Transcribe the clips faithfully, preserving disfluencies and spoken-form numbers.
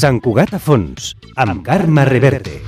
Sant Cugat a fons, amb Carme Reverte.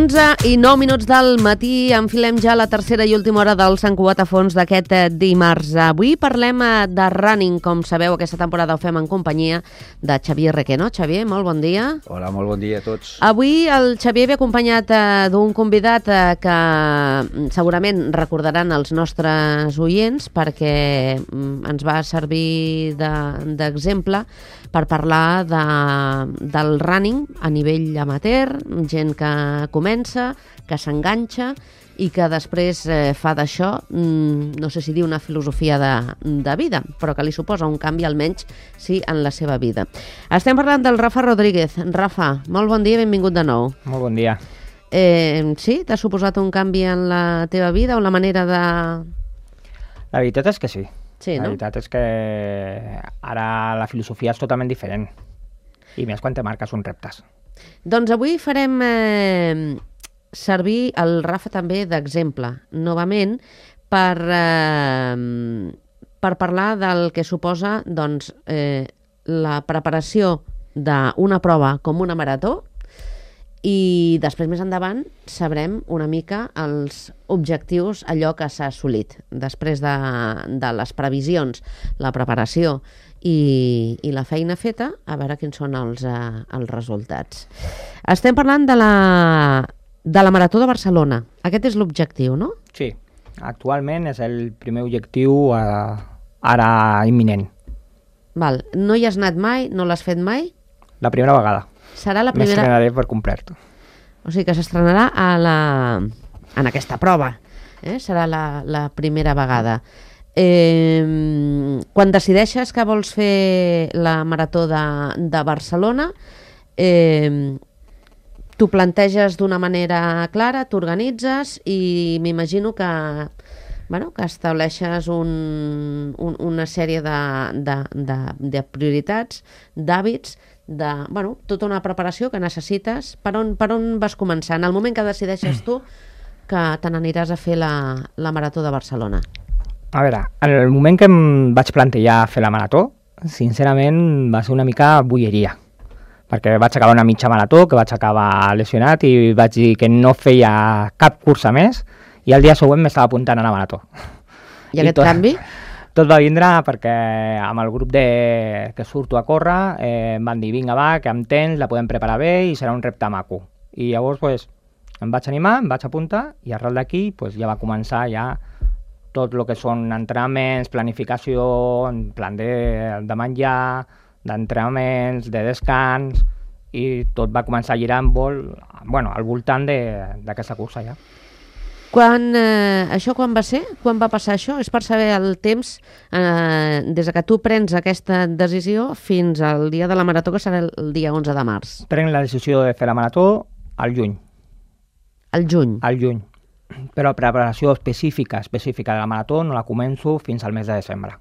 onze i nou minuts del matí, enfilem ja la tercera i última hora del Sant Cugat a fons d'aquest dimarts. Avui parlem de running, com sabeu, aquesta temporada ho fem en companyia de Xavier Requeno. Xavier, molt bon dia. Hola, molt bon dia a tots. Avui el Xavier ve acompanyat eh, d'un convidat eh, que segurament recordaran els nostres oients perquè mm, ens va servir d'exemple de, per parlar de, del running a nivell amateur, gent que comença, que s'enganxa i que després eh, fa d'això, mm, no sé si dir una filosofia de, de vida, però que li suposa un canvi almenys sí en la seva vida. Estem parlant del Rafa Rodríguez. Rafa, molt bon dia, benvingut de nou. Molt bon dia. Eh, sí? T'ha suposat un canvi en la teva vida o la manera de... La veritat és que sí. Sí, la no? veritat és que ara la filosofia és totalment diferent. I més quan te marques uns reptes. Doncs avui farem eh, servir el Rafa també d'exemple, novament, per, eh, per parlar del que suposa doncs, eh, la preparació d'una prova com una marató i després més endavant sabrem una mica els objectius, allò que s'ha assolit després de, de les previsions, la preparació i, i la feina feta, a veure quins són els, eh, els resultats. Estem parlant de la, de la Marató de Barcelona. Aquest és l'objectiu, no? Sí, actualment és el primer objectiu eh, ara imminent. Val. No hi has anat mai? No l'has fet mai? La primera vegada. Serà la primera... M'estrenaré per complet. O sigui que s'estrenarà a la... en aquesta prova. Eh? Serà la, la primera vegada. Eh, quan decideixes que vols fer la Marató de, de Barcelona, eh, t'ho planteges d'una manera clara, t'organitzes i m'imagino que, bueno, que estableixes un, un, una sèrie de, de, de, de prioritats, d'hàbits, de, bueno, tota una preparació que necessites. Per on, per on vas començar? En el moment que decideixes tu que te n'aniràs a fer la, la Marató de Barcelona. A veure, en el moment que em vaig plantejar fer la marató, sincerament va ser una mica boieria, perquè vaig acabar una mitja marató, que vaig acabar lesionat i vaig dir que no feia cap cursa més i el dia següent m'estava apuntant a la marató. I, I aquest tot... canvi? Tot va vindre perquè amb el grup de... que surto a córrer eh, em van dir, vinga va, que amb temps la podem preparar bé i serà un repte maco. I llavors pues, em vaig animar, em vaig apuntar i arrel d'aquí pues, ja va començar ja tot el que són entrenaments, planificació, en plan de, de menjar, d'entrenaments, de descans, i tot va començar a girar en vol, bueno, al voltant d'aquesta cursa ja. Quan, eh, això quan va ser? Quan va passar això? És per saber el temps eh, des que tu prens aquesta decisió fins al dia de la marató, que serà el dia onze de març. Prenc la decisió de fer la marató al juny. Al juny? Al juny. Però la preparació específica, específica de la marató no la començo fins al mes de desembre.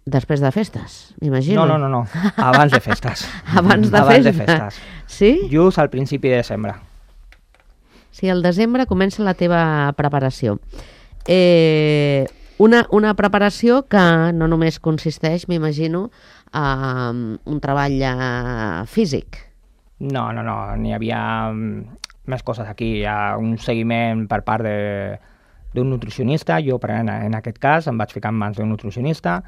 Després de festes, m'imagino. No, no, no, no. Abans de festes. Abans de Abans festes? de festes. Sí? Just al principi de desembre. Sí, al desembre comença la teva preparació. Eh, una, una preparació que no només consisteix, m'imagino, en un treball eh, físic. No, no, no, n'hi havia més coses aquí. Hi ha un seguiment per part d'un nutricionista. Jo, per en, en aquest cas, em vaig ficar en mans d'un nutricionista.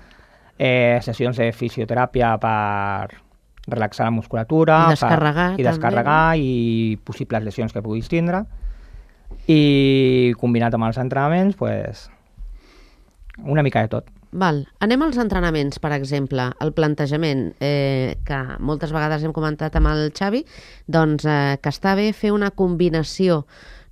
Eh, sessions de fisioteràpia per relaxar la musculatura I descarregar, per, i, descarregar i possibles lesions que puguis tindre. I combinat amb els entrenaments, pues, una mica de tot. Val. Anem als entrenaments, per exemple, el plantejament, eh, que moltes vegades hem comentat amb el Xavi, doncs eh, que està bé fer una combinació,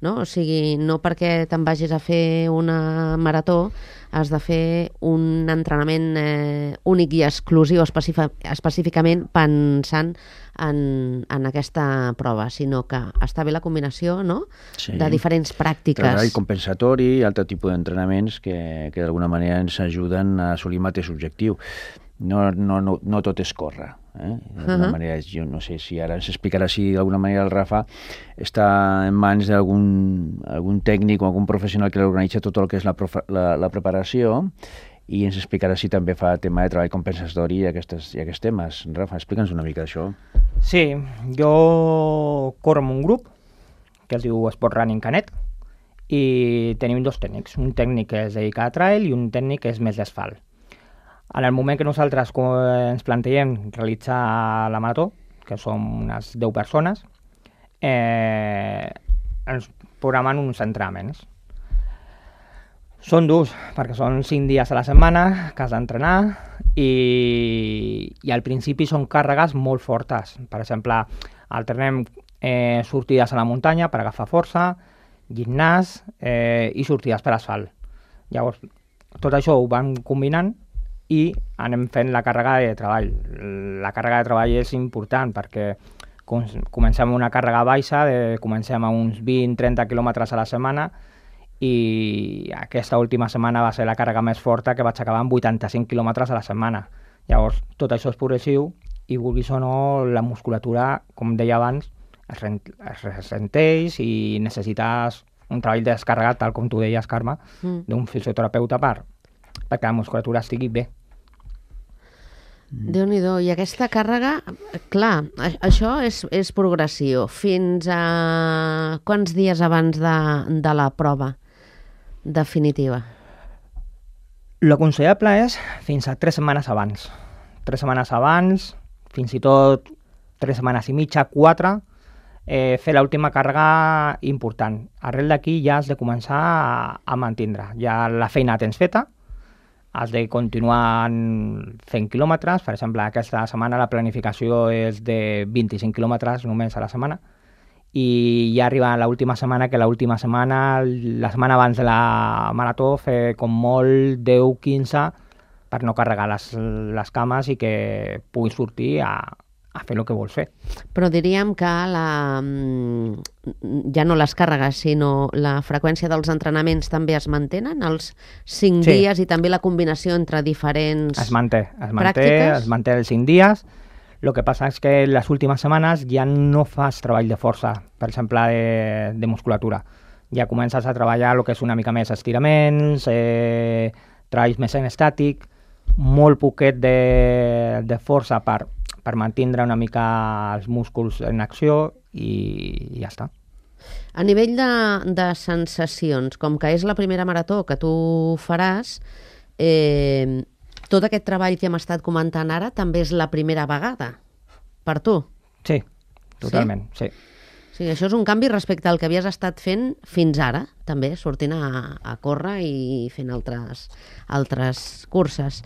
no? O sigui, no perquè te'n vagis a fer una marató has de fer un entrenament eh, únic i exclusiu específicament pensant en, en aquesta prova, sinó que està bé la combinació, no? Sí. De diferents pràctiques. Treball compensatori i altre tipus d'entrenaments que, que d'alguna manera ens ajuden a assolir el mateix objectiu. No, no, no, no tot és córrer. Eh? D'alguna Uh-huh. manera, jo no sé si ara ens explicarà si d'alguna manera el Rafa està en mans d'algun algun tècnic o algun professional que l'organitza tot el que és la, profa, la, la preparació, i ens explicarà si també fa tema de treball compensatori i, aquestes, i aquests temes. Rafa, explica'ns una mica d'això. Sí, jo corro amb un grup que es diu Sport Running Canet i tenim dos tècnics. Un tècnic que es dedica a trail i un tècnic que és més d'asfalt. En el moment que nosaltres ens plantegem realitzar la marató, que som unes deu persones, eh, ens programen uns entrenaments. Són durs, perquè són cinc dies a la setmana que has d'entrenar i, i al principi són càrregues molt fortes. Per exemple, alternem eh, sortides a la muntanya per agafar força, gimnàs eh, i sortides per asfalt. Llavors, tot això ho vam combinant i anem fent la càrrega de treball. La càrrega de treball és important perquè comencem una càrrega baixa, de, comencem a uns vint trenta quilòmetres a la setmana i aquesta última setmana va ser la càrrega més forta, que vaig acabar amb vuitanta-cinc quilòmetres a la setmana. Llavors, tot això és progressiu i, vulguis o no, la musculatura, com deia abans, es, rent, es ressenteix i necessites un treball descarregat, tal com tu deies, Carme, mm. d'un fisioterapeuta per, perquè la musculatura estigui bé. Déu-n'hi-do, i aquesta càrrega, clar, això és, és progressió. Fins a quants dies abans de, de la prova definitiva? L'aconsellable és fins a tres setmanes abans. Tres setmanes abans, fins i tot tres setmanes i mitja, quatre, eh, fer l'última càrrega important. Arrel d'aquí ja has de començar a, a mantindre. Ja la feina tens feta, has de continuar fent quilòmetres. Per exemple, aquesta setmana la planificació és de vint-i-cinc quilòmetres només a la setmana, i ja arriba l'última setmana, que l'última setmana, la setmana abans de la marató, fer com molt deu quinze per no carregar les, les cames i que puguis sortir a, a fer el que vols fer. Però diríem que la, ja no les càrregues, sinó la freqüència dels entrenaments també es mantenen, els cinc Sí. dies, i també la combinació entre diferents Es manté, es manté, pràctiques? es manté els cinc dies. El que passa és que les últimes setmanes ja no fas treball de força, per exemple, de, de musculatura. Ja comences a treballar el que és una mica més estiraments, eh, treballs més en estàtic, molt poquet de, de força per, per mantindre una mica els músculs en acció i ja està. A nivell de, de sensacions, com que és la primera marató que tu faràs, eh, tot aquest treball que hem estat comentant ara també és la primera vegada per tu. Sí, totalment, sí. O sigui, això és un canvi respecte al que havies estat fent fins ara, també, sortint a, a córrer i fent altres, altres curses.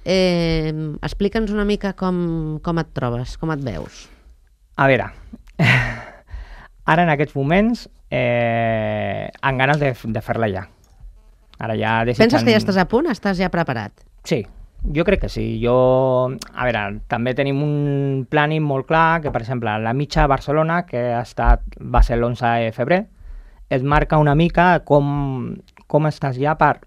Eh, Explica'ns una mica com, com et trobes, com et veus. A veure, ara en aquests moments eh, amb ganes de, de fer-la ja. Ara ja desitjant... Penses que ja estàs a punt? Estàs ja preparat? Sí, jo crec que sí. Jo, a veure, també tenim un plàning molt clar, que per exemple la mitja a Barcelona, que ha estat, va ser l'onze de febrer, et marca una mica com, com estàs ja per,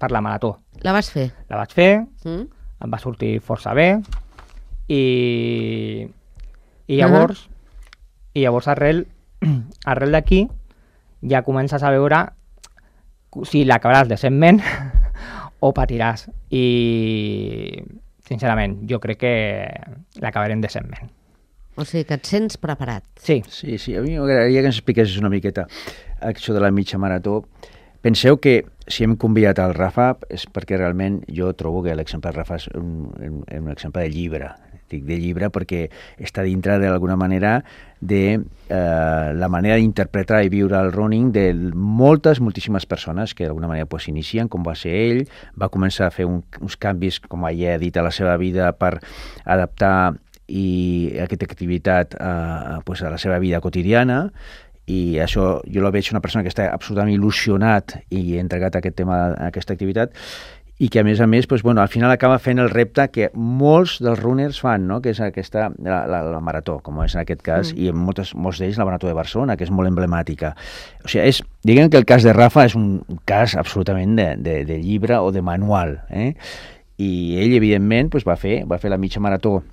per la marató. La vas fer? La vaig fer, Mm? em va sortir força bé, i, i llavors, uh-huh. i llavors arrel, arrel d'aquí ja comences a veure si l'acabaràs decentment o patiràs. I, sincerament, jo crec que l'acabarem decentment. O sigui, que et sents preparat. Sí. Sí, sí, a mi m'agradaria que ens expliquessis una miqueta això de la mitja marató. Penseu que si hem convidat al Rafa és perquè realment jo trobo que l'exemple del Rafa és un, un, un exemple de llibre. Dic de llibre perquè està dintre d'alguna manera de eh, la manera d'interpretar i viure el running de moltes, moltíssimes persones que d'alguna manera pues, inicien, com va ser ell, va començar a fer un, uns canvis, com ja he dit, a la seva vida per adaptar i aquesta activitat a, pues, a la seva vida quotidiana, i això jo la veig una persona que està absolutament il·lusionat i entregat a aquest tema, a aquesta activitat, i que a més a més, pues, bueno, al final acaba fent el repte que molts dels runners fan, no? Que és aquesta, la, la, la marató, com és en aquest cas, mm. i en moltes, molts d'ells la marató de Barcelona, que és molt emblemàtica. O sigui, és, diguem que el cas de Rafa és un cas absolutament de, de, de llibre o de manual, eh? I ell, evidentment, pues, va fer va fer la mitja marató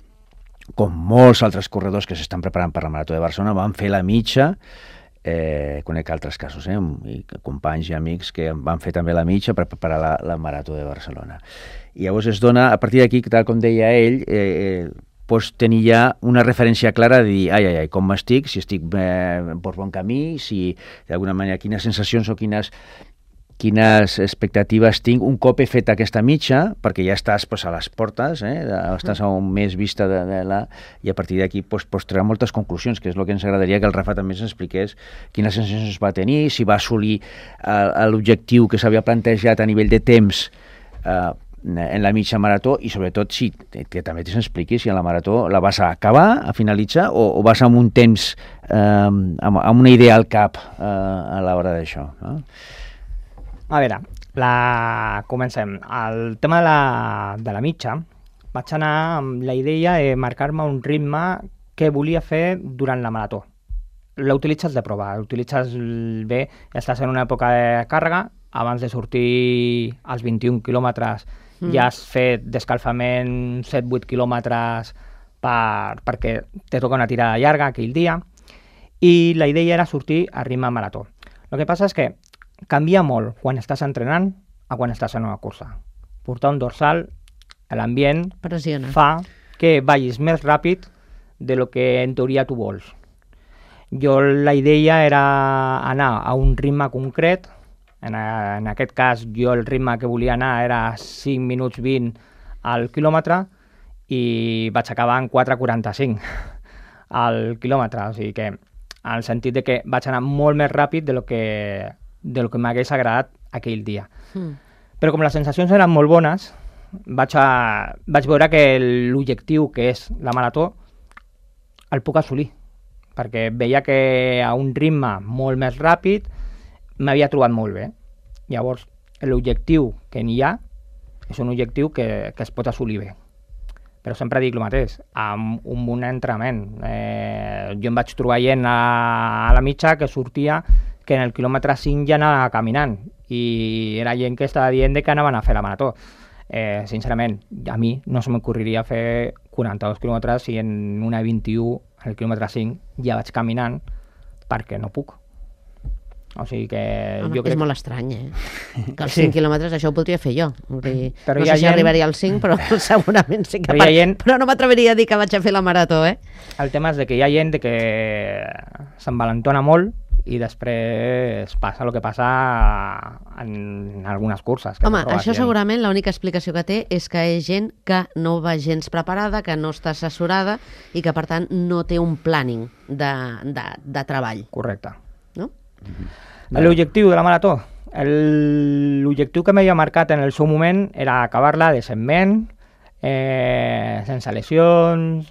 com molts altres corredors que s'estan preparant per la Marató de Barcelona, van fer la mitja. Eh, conec altres casos, eh, i companys i amics que van fer també la mitja per preparar la, la Marató de Barcelona. I llavors es dona, a partir d'aquí, tal com deia ell, eh, eh, pots tenir ja una referència clara de dir, ai, ai, ai, com m'estic, si estic eh, per bon camí, si d'alguna manera quines sensacions o quines quines expectatives tinc un cop he fet aquesta mitja, perquè ja estàs pues, a les portes, eh? Estàs a un mes vista de, de la... i a partir d'aquí pues, pots treure moltes conclusions, que és el que ens agradaria que el Rafa també ens expliqués quines sensacions va tenir, si va assolir eh, l'objectiu que s'havia plantejat a nivell de temps eh, en la mitja marató, i sobretot si, que també ens expliqui si en la marató la vas a acabar, a finalitzar, o, o vas amb un temps, eh, amb, amb una idea al cap eh, a l'hora d'això, no? A veure, la... comencem. El tema de la, de la mitja, vaig anar amb la idea de marcar-me un ritme que volia fer durant la marató. L'utilitzes de prova, l'utilitzes bé, estàs en una època de càrrega, abans de sortir als vint-i-un quilòmetres mm. ja has fet d'escalfament set vuit quilòmetres per, perquè te toca una tirada llarga aquell dia, i la idea era sortir a ritme marató. El que passa és que canvia molt quan estàs entrenant a quan estàs en una cursa. Portar un dorsal, l'ambient pressiona, fa que vagis més ràpid de lo que en teoria tu vols. Jo la idea era anar a un ritme concret, en, a, en aquest cas jo el ritme que volia anar era cinc minuts vint al quilòmetre i vaig acabar en quatre quaranta-cinc al quilòmetre, o sigui que en el sentit de que vaig anar molt més ràpid de lo que de lo que m'hagués agradat aquell dia. Mm. Però com les sensacions eren molt bones, vaig, a, vaig veure que l'objectiu que és la marató el puc assolir, perquè veia que a un ritme molt més ràpid m'havia trobat molt bé. Llavors, l'objectiu que n'hi ha és un objectiu que, que es pot assolir bé. Però sempre dic el mateix, amb un bon entrenament. Eh, jo em vaig trobar gent a, a la mitja que sortia que en el quilòmetre cinc ja anava caminant i era gent que estava dient que anaven a fer la marató. Eh, sincerament, a mi no se m'ocorriria fer quaranta-dos quilòmetres si en una vint-i-u, en el quilòmetre cinc, ja vaig caminant perquè no puc. O sigui que... Home, jo crec... És molt estrany, eh? Que els Sí. cinc quilòmetres això ho podria fer jo. Dir, Però no hi sé ha si gent- arribaria als cinc, però segurament sí que... Però hi ha gent- Però no m'atreviria a dir que vaig a fer la marató, eh? El tema és de que hi ha gent de que s'envalentona molt i després passa el que passa en algunes curses. Que Home, no trobes això gent. segurament l'única explicació que té és que és gent que no va gens preparada, que no està assessorada i que, per tant, no té un planning de, de, de treball, Correcte. no? L'objectiu de la marató. El- L'objectiu que m'havia marcat en el seu moment era acabar-la decentment, eh, sense lesions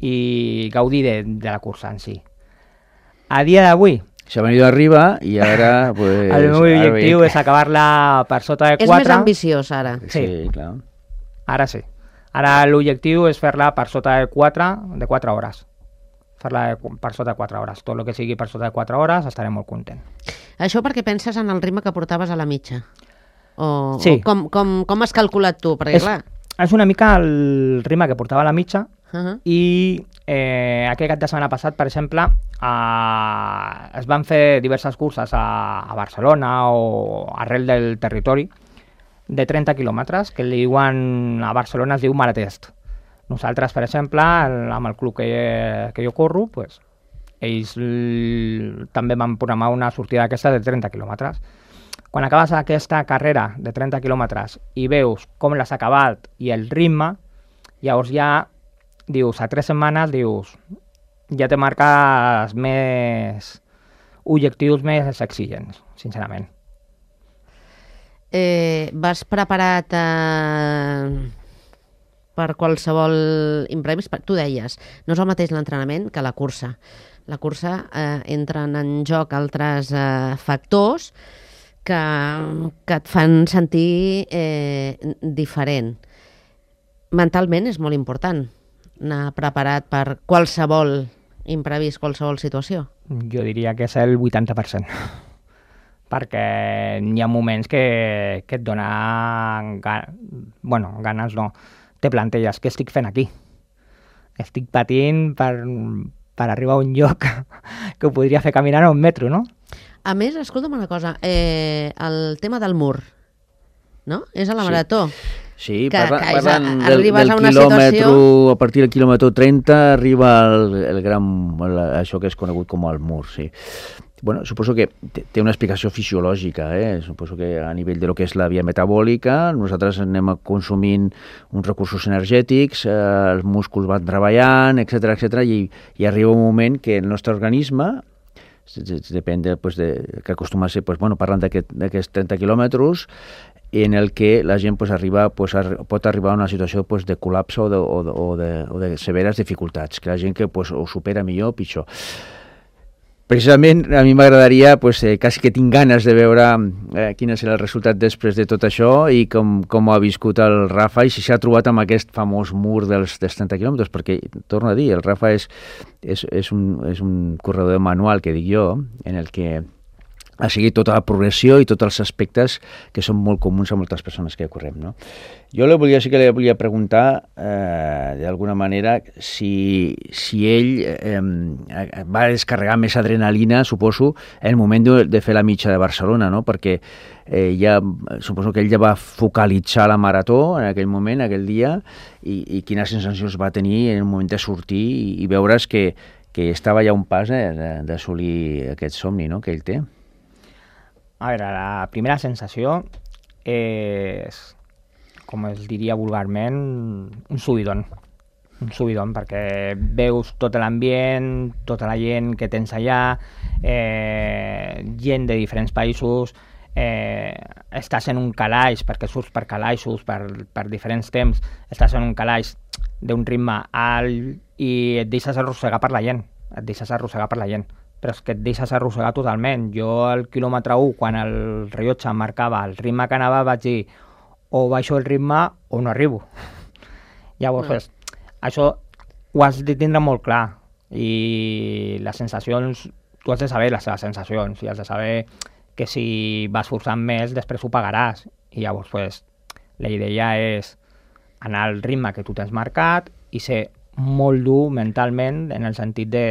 i gaudir de, de la cursa en si. A dia d'avui, S'ha venido arriba i ara... Pues, el meu ara objectiu veig- és acabar-la per sota de És quatre. més ambiciós, ara. Sí, Sí. clar. Ara sí. Ara l'objectiu és fer-la per sota de quatre, de quatre hores. Fer-la de qu- per sota de quatre hores. Tot el que sigui per sota de quatre hores estaré molt content. Això perquè penses en el ritme que portaves a la mitja? O, Sí. o com, com, com has calculat tu? Perquè, És, clar... és una mica el ritme que portava a la mitja. Uh -huh. I eh, aquest cap de setmana passat, per exemple, eh, es van fer diverses curses a, a Barcelona o arrel del territori de trenta quilòmetres, que li diuen, a Barcelona es diu Maratest. Nosaltres, per exemple, el, amb el club que, que jo corro, pues, ells l, també van programar una sortida d'aquesta de trenta quilòmetres. Quan acabes aquesta carrera de trenta quilòmetres i veus com l'has acabat i el ritme, llavors ja dius, a tres setmanes, dius, ja te marques més objectius més exigents, sincerament. Eh, vas preparat eh, per qualsevol imprevist? Tu deies, no és el mateix l'entrenament que la cursa. La cursa eh, entren en joc altres eh, factors que, que et fan sentir eh, diferent. Mentalment és molt important anar preparat per qualsevol imprevist, qualsevol situació. Jo diria que és el vuitanta per cent. Perquè hi ha moments que, que et donen ga, bueno, ganes, no, te planteges què estic fent aquí. estic patint per, per arribar a un lloc que ho podria fer caminant a un metro, no? A més, escolta'm una cosa, eh, el tema del mur, no? És a la Sí. marató. Sí, Que- parla, que és a- parlant del, arribes del a una quilòmetre, situació- a partir del quilòmetre trenta arriba el, el gran, el, això que és conegut com el mur, sí. Bueno, suposo que té té una explicació fisiològica, eh? Suposo que a nivell de lo que és la via metabòlica, nosaltres anem consumint uns recursos energètics, eh, els músculs van treballant, etcètera, etcètera, i, i arriba un moment que el nostre organisme, depèn de, pues, de, que acostuma a ser, pues, bueno, parlant d'aquests aquest, trenta quilòmetres, en el que la gent pues, arriba, pues, ar pot arribar a una situació pues, de col·lapse o de, o, de, o, de, o de severes dificultats, que la gent que pues, ho supera millor o pitjor. Precisament a mi m'agradaria, pues, eh, quasi que tinc ganes de veure eh, quin serà el resultat després de tot això i com, com ha viscut el Rafa i si s'ha trobat amb aquest famós mur dels, dels trenta quilòmetres, perquè, torno a dir, el Rafa és, és, és, un, és un corredor manual, que dic jo, en el que ha seguit tota la progressió i tots els aspectes que són molt comuns a moltes persones que correm, no? Jo le volia, sí que li volia preguntar, eh, d'alguna manera, si, si ell eh, va descarregar més adrenalina, suposo, en el moment de, de fer la mitja de Barcelona, no? Perquè eh, ja, suposo que ell ja va focalitzar la marató en aquell moment, aquell dia, i, i quines sensacions va tenir en el moment de sortir i, i veure's que, que estava ja a un pas eh, d'assolir aquest somni, no?, que ell té. A veure, la primera sensació és, com es diria vulgarment, un subidon. Un subidon, perquè veus tot l'ambient, tota la gent que tens allà, eh, gent de diferents països, eh, estàs en un calaix, perquè surts per calaixos, per, per diferents temps, estàs en un calaix d'un ritme alt i et deixes arrossegar per la gent, et deixes arrossegar per la gent. Però és que et deixes arrossegar totalment. Jo al quilòmetre u, quan el rellotge em marcava el ritme que anava, vaig dir o baixo el ritme o no arribo. Llavors, no. pues, això ho has de tindre molt clar i les sensacions, tu has de saber les teves sensacions i has de saber que si vas forçant més després ho pagaràs. I llavors, pues, la idea és anar al ritme que tu t'has marcat i ser molt dur mentalment en el sentit de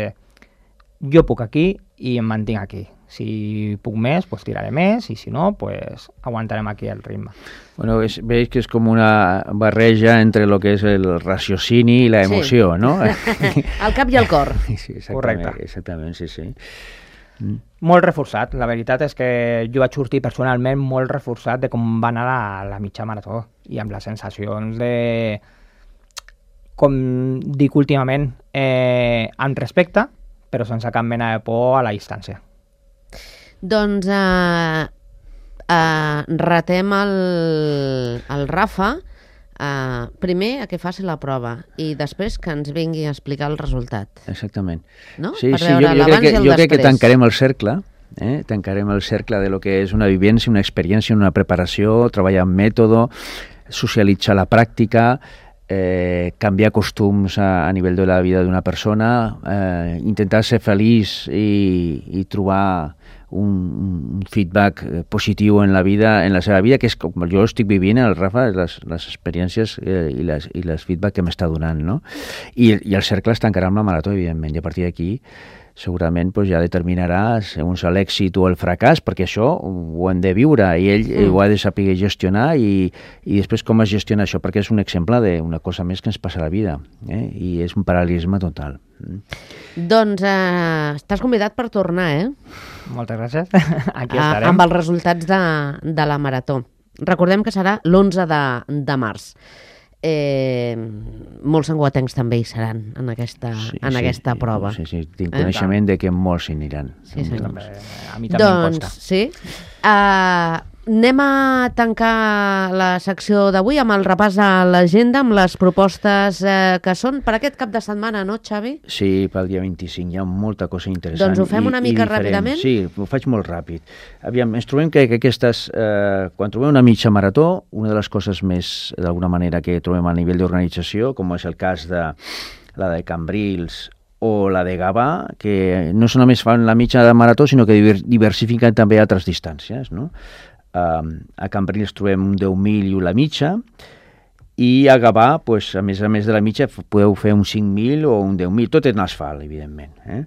jo puc aquí i em mantinc aquí. Si puc més, pues tiraré més, i si no, pues aguantarem aquí el ritme. Bueno, és, veig que és com una barreja entre el que és el raciocini i la emoció, sí. no? El cap i el cor. Sí, exactament, correcte. Exactament, sí, sí. Mm. Molt reforçat. La veritat és que jo vaig sortir personalment molt reforçat de com va anar la, la mitja marató i amb les sensacions de, com dic últimament, eh, amb respecte, però sense cap mena de por a la distància. Doncs eh, eh, retem el, el Rafa eh, primer a que faci la prova i després que ens vingui a explicar el resultat. Exactament. No? Sí, Per sí, veure jo, jo, l'abans crec que, i el jo crec que després. tancarem el cercle, eh? tancarem el cercle de lo que és una vivència, una experiència, una preparació, treballar amb mètode, socialitzar la pràctica, eh, canviar costums a, a nivell de la vida d'una persona, eh, intentar ser feliç i, i trobar un, un feedback positiu en la vida, en la seva vida, que és com jo estic vivint, el Rafa, les, les experiències eh, i, les, i les feedback que m'està donant, no? I, I el cercle es tancarà amb la marató, evidentment, i a partir d'aquí segurament pues, ja determinarà segons l'èxit o el fracàs, perquè això ho hem de viure i ell mm. ho ha de saber gestionar i, i després com es gestiona això, perquè és un exemple d'una cosa més que ens passa a la vida, eh? I és un paral·lelisme total. Mm. Doncs eh, estàs convidat per tornar, eh? Moltes gràcies. Aquí A, estarem. amb els resultats de, de la marató. Recordem que serà l'onze de, de març. Eh, molts sanguatencs també hi seran en aquesta, Sí, en sí, aquesta sí, prova. Sí, sí, tinc Eh? coneixement de que molts s'hi aniran. Sí, senyor. També, a mi també em Doncs costa. sí. Uh, anem a tancar la secció d'avui amb el repàs a l'agenda, amb les propostes uh, que són per aquest cap de setmana, no, Xavi? Sí, pel dia vint-i-cinc hi ha molta cosa interessant. Doncs ho fem i, una i mica diferent. ràpidament? Sí, ho faig molt ràpid. Aviam, ens trobem que, que aquestes... Eh, quan trobem una mitja marató, una de les coses més, d'alguna manera, que trobem a nivell d'organització, com és el cas de la de Cambrils o la de Gavà, que no només fan la mitja de marató, sinó que diversifiquen també altres distàncies, no? Uh, a Cambrils trobem un deu mil i la mitja, i a Gavà, pues, a més a més de la mitja, podeu fer un cinc mil o un deu mil, tot en asfalt, evidentment. Eh?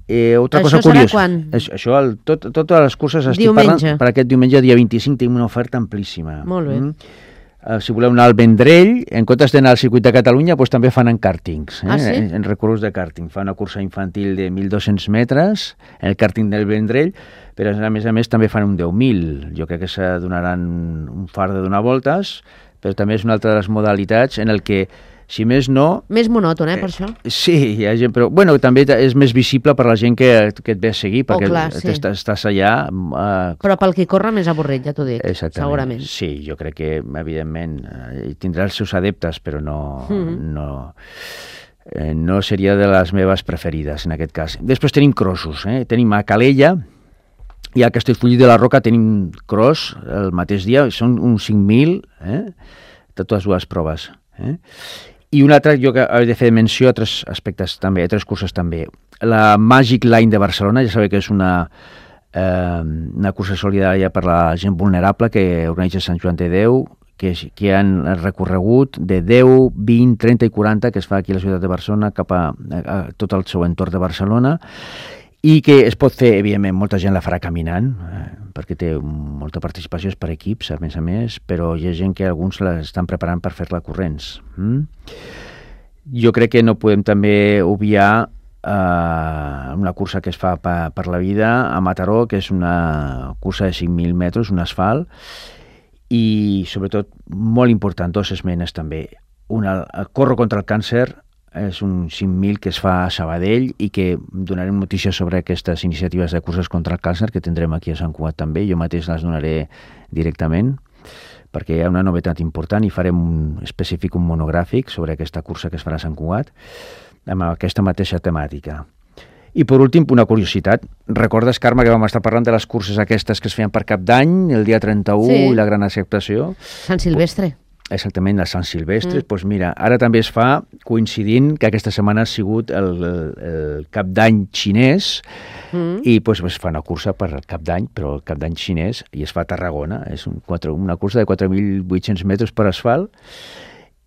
Eh, altra això cosa serà curiosa, quan? És, això, el, tot, totes les curses estic Diumenge. parlant, per aquest diumenge, dia vint-i-cinc, tenim una oferta amplíssima. Molt bé. Mm? Uh, si voleu anar al Vendrell, en comptes d'anar al circuit de Catalunya, pues, també fan en càrtings, eh? Ah, sí? en, en recorreguts de càrting. Fa una cursa infantil de mil dos-cents metres, en el càrting del Vendrell, però a més a més també fan un deu mil. Jo crec que se donaran un far de donar voltes, però també és una altra de les modalitats en el que, si més no... Més monòton, eh, per això? Sí, hi ha gent, però bueno, també és més visible per la gent que, que et ve a seguir, perquè clar, sí. estàs, estàs allà... Uh, Però pel qui corre més avorrit, ja t'ho dic, exactament. segurament. Sí, jo crec que, evidentment, eh, tindrà els seus adeptes, però no... Mm-hmm. no eh, no seria de les meves preferides, en aquest cas. Després tenim crossos, eh? Tenim a Calella, i a Castellfollit de la Roca tenim cross el mateix dia, són uns cinc mil, eh? De totes dues proves. Eh? I una altra, jo que he de fer menció a tres aspectes també, a tres curses també. La Magic Line de Barcelona, ja sabeu que és una, eh, una cursa solidària per la gent vulnerable que organitza Sant Joan de Déu, que, que han recorregut de deu, vint, trenta i quaranta, que es fa aquí a la ciutat de Barcelona, cap a, a tot el seu entorn de Barcelona, i que es pot fer, evidentment, molta gent la farà caminant, eh, perquè té molta participació, és per equips, a més a més, però hi ha gent que alguns l'estan preparant per fer-la corrents. Mm? Jo crec que no podem també obviar eh, una cursa que es fa per, per la vida a Mataró, que és una cursa de cinc mil metres, un asfalt, i sobretot, molt important, dos esmenes també. Una, Corro contra el càncer, és un cinc mil que es fa a Sabadell i que donarem notícies sobre aquestes iniciatives de curses contra el càncer que tindrem aquí a Sant Cugat també. Jo mateix les donaré directament perquè hi ha una novetat important i farem un específic, un monogràfic sobre aquesta cursa que es farà a Sant Cugat amb aquesta mateixa temàtica. I per últim, una curiositat. Recordes, Carme, que vam estar parlant de les curses aquestes que es feien per Cap d'Any, el dia trenta-u, sí. I la gran acceptació? Sant Silvestre. Exactament, a Sant Silvestre. Mm. Doncs mira, ara també es fa coincidint que aquesta setmana ha sigut el, el, el Cap d'Any xinès mm. i doncs, es fa una cursa per Cap d'Any, però el Cap d'Any xinès, i es fa a Tarragona. És un quatre, una cursa de quatre mil vuit-cents metres per asfalt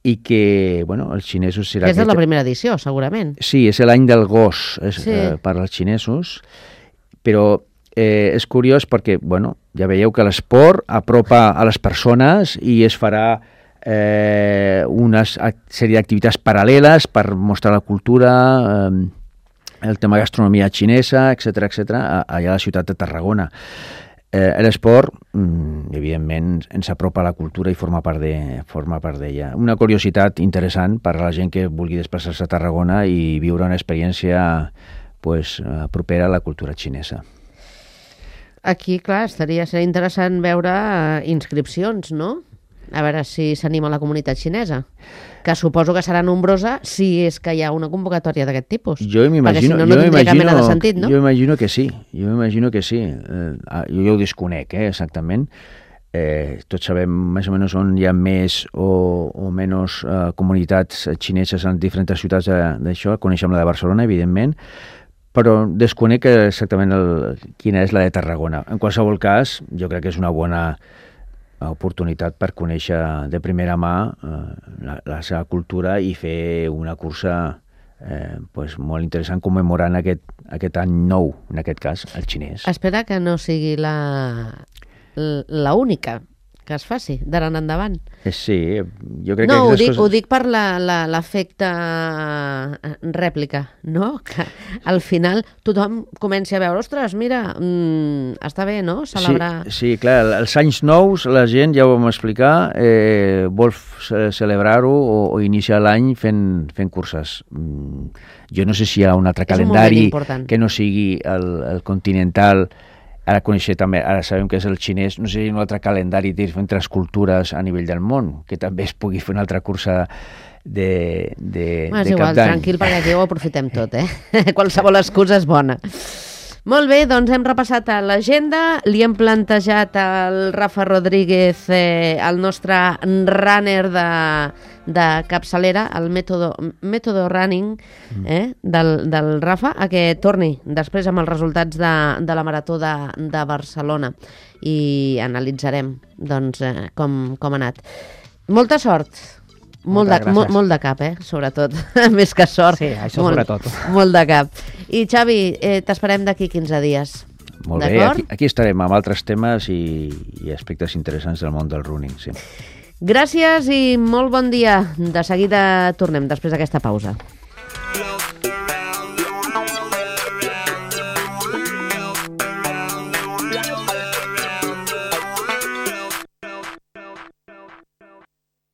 i que, bueno, els xinesos... Serà Aquesta és la primera edició, segurament. Sí, és l'any del gos és, sí. eh, per als xinesos, però eh, és curiós perquè, bueno, ja veieu que l'esport apropa a les persones i es farà Eh, una sèrie d'activitats paral·leles per mostrar la cultura, eh, el tema gastronomia xinesa, etcètera, etcètera, allà a la ciutat de Tarragona. Eh, l'esport, mm, evidentment, ens apropa a la cultura i forma part de, forma part d'ella. Una curiositat interessant per a la gent que vulgui desplaçar-se a Tarragona i viure una experiència pues, propera a la cultura xinesa. Aquí, clar, estaria, seria interessant veure uh, inscripcions, no? A veure si s'anima la comunitat xinesa, que suposo que serà nombrosa si és que hi ha una convocatòria d'aquest tipus. Jo m'imagino, perquè si no, no tindria cap mena de sentit, no? Jo imagino que sí, jo imagino que sí. Eh, jo ja ho desconec, eh, exactament. Eh, tots sabem més o menys on hi ha més o, o menys eh, comunitats xineses en diferents ciutats d'això, coneixem la de Barcelona, evidentment, però desconec exactament el, quina és la de Tarragona. En qualsevol cas, jo crec que és una bona oportunitat per conèixer de primera mà eh, la, la seva cultura i fer una cursa eh, pues, molt interessant commemorant aquest, aquest any nou, en aquest cas, el xinès. Espera que no sigui la, la única que es faci d'ara en endavant. Sí, jo crec no, que... No, ho, dic, coses... ho dic per l'efecte rèplica, no? Que al final tothom comenci a veure, ostres, mira, mmm, està bé, no?, celebrar... Sí, sí, clar, els anys nous, la gent, ja ho vam explicar, eh, vol celebrar-ho o, o iniciar l'any fent, fent curses. Mm, jo no sé si hi ha un altre És calendari un que no sigui el, el continental. Ara coneixer també, ara sabem que és el xinès, no sé si hi ha un altre calendari d'entre les cultures a nivell del món, que també es pugui fer una altra cursa de, de, bueno, de igual, Cap d'Any. Tranquil, perquè aquí ho aprofitem tot, eh? Qualsevol excusa és bona. Molt bé, doncs hem repassat l'agenda, li hem plantejat al Rafa Rodríguez, eh, el nostre runner de, de capçalera, el mètode, mètode running eh, del, del Rafa, a que torni després amb els resultats de, de la Marató de, de Barcelona i analitzarem doncs, eh, com, com ha anat. Molta sort. Molt de, molt, molt de cap, eh? Sobretot. Més que sort. Sí, això molt, sobretot. Molt de cap. I Xavi, eh, t'esperem d'aquí quinze dies. Molt bé, aquí, aquí estarem amb altres temes i, i aspectes interessants del món del running, sí. Gràcies i molt bon dia. De seguida tornem després d'aquesta pausa.